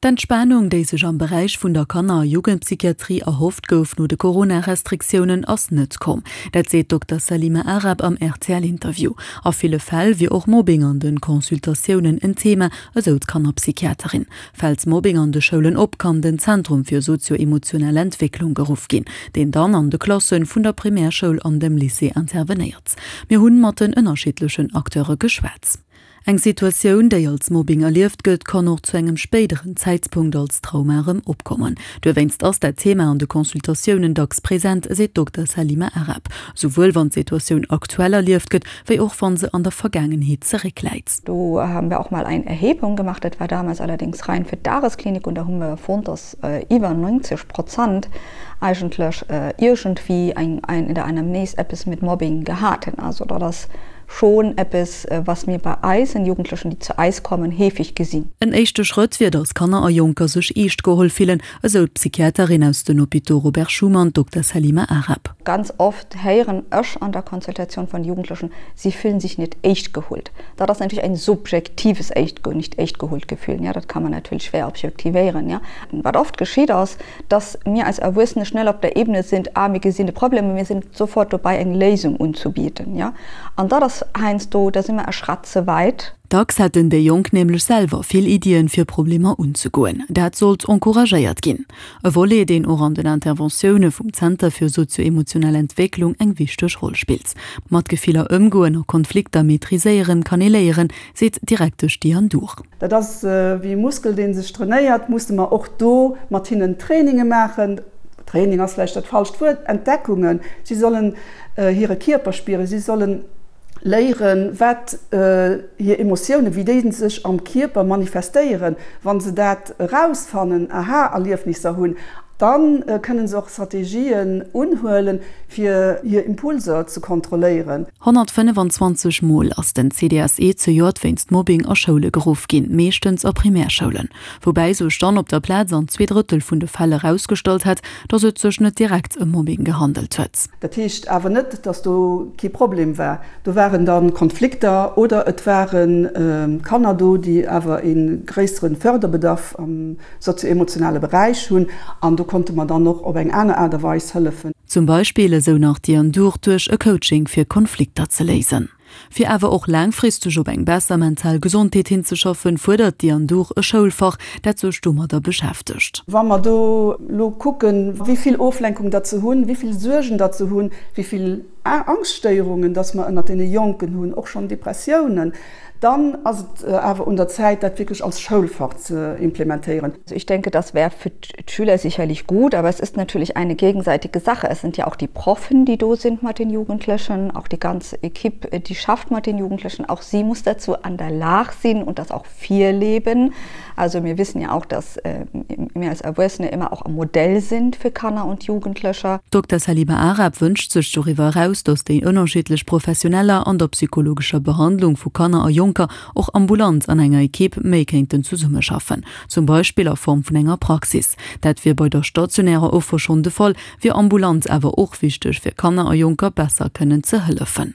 D'Entspanung, déi sech am Beräich vun der Kanner a Jugendpsychiatrie erhofft gouf no de Corona-Restriktiounen, ass net komm. Dat seet d'Dokter Salima Aarab am RTL-Interview. A ville Fäll wier och Mobbing an de Consultatiounen en Thema, esou d'Kannerpsychiaterin. Fält Mobbing an de Schoulen op, kann den Zentrum fir sozio-emotionell Entwécklung geruff ginn, deen dann an de Klasse vun der Primärschoul an dem Lycée intervenéiert. Mir hunn mat den ënnerschiddlechen Acteure geschwat. Eng Situatioun, déi als Mobbing erlieft gëtt, kann och zu engem spéideren Zäitpunkt als Trauma erëm opkommen. Duerwéinst ass dat Thema an de Consultatiounen dacks present, seet d'Dokter Salima Aarab. Souwuel wann d'Situatioun aktuell erlieft gëtt, wéi och wann se an der Vergaangenheet zeréckläit. Do haben wir auch mal eng Erhebung gemacht, dat war damals allerdings rein für d'Dagesklinik und da hu mir fonnt, dass iwwer 90 Prozent eigentlech iergendwéi eng in der Anamnese eppes mit Mobbing gehat hunn. Also dat ass Schon eppes, was mir bei eisen Jugendlechen, déi zu eis kommen, heefig gesinn. En éischte Schrëtt wier, datt Kanner a Jonker sech eescht geholl fillen, esou d'Psychiaterin aus den Hôpitaux Robert Schuman, d'Dokter Salima Aarab. Ganz oft héieren ech an der Konsultatioun vun Jugendlechen, sie fühlen sich nicht echt geholt. Dat ass natierlech ein subjektives echt, nicht echt geholt Gefühl, ja, dat kann man natierlech schwer objektivéieren, ja. Wat oft geschitt ass, dass mir als Erwuessene schnell op der Ebene sind, ah, mir gesinn de Problem a mir sinn sofort dobei eng Léisung unzubieten, ja. An dat ass heiansdo, da si mer e Schratt ze wäit. Dacks hätten déi Jonk nämlech selwer vill Iddien, fir Problemer unzegoen. Dat sollt encouragéiert ginn. E Volet, deen och an den Interventioune vum Zenter fir sozio-emotionell Entwécklung eng wichteg Roll spillt. Mat Gefiller ëmgoen a Konflikter maîtriséieren kann ee léieren, seet d'Direktesch Diane Dhur. Dat ass wéi e Muskel, dee sech trainéiert, musse mer och do mat hinnen Traininge maachen. Training ass vläicht dat falscht Wuert, Entdeckungen. Si sollen hire Kierper spieren, si solle léieren, wat hir Emotiounen, wéi déi sech am Kierper manifestéieren. Wa se dat erausfannen, Aha-Erliefnisser hunn, da kënne se och Strategien unhuelen, fir hir Impulser ze kontrolléieren. 125 Mol ass den CDSE zejoert wéinst Mobbing a Schoule geruff ginn, meeschtens a Primärschoulen. Woubäi sech dann op der Plaz an 2 Drëttel vun de Fäll erausgestallt hätt, datt et sech net direkt ëm Mobbing gehandelt huet. Dat heescht awer net, datt do kee Problem war. Do waren da Konflikter oder et ware Kanner do, déi awer ee gréissere Förderbedarf am sozio-emotionale Beräich hunn an do konnte mer dann och op eng aner Aart a Weis hëllefen. Zum Beispill, esou nach d'Diane Dhur, duerch e Coaching fir Konflikter ze léisen. Fir awer och laangfristeg op eng besser mental Gesondheet hinzeschaffen, fuerdert d'Diane Dhur e Schoulfach, dat sech domadder beschäftegt. Wa mer do elo kucken, wéi vill Oflenkung datt se hunn, wéi vill Suergen datt se hunn, wéi vill Angststéierungen datt mer ënnert deene Jonken hunn, och schonn Depressiounen, Dann ass et awer un der Zäit, dat wierklech als Schoulfach ze implementéieren. Also ich denke, das wär für d'Schüler sicherlich gut, aber es ist natürlich eine gegenseitige Sache. Es sind ja auch die Proffen, die do sind mat den Jugendlichen, auch die ganze Equipe, die schafft mat den Jugendlichen, auch sie muss dazu an der Lag sinn und das auch virleben. Also mir wissen ja auch, dass mir als Erwuessene immer auch e Modell sind für Kanner und Jugendlecher. D'Dokter Salima Aarab wënscht sech doriwwer eraus, datt déi ënnerschiddlech Professioneller an der psychologescher Behandlung vu Kanner a Jonker och ambulant an enger Ekipp méi kéinten zesummeschaffen, zum Beispill a Form vun enger Praxis. Dat wier bei der stationärer Offer schonn de Fall, wier ambulant awer och wichteg, fir Kanner a Jonker besser kënnen ze hëllefen.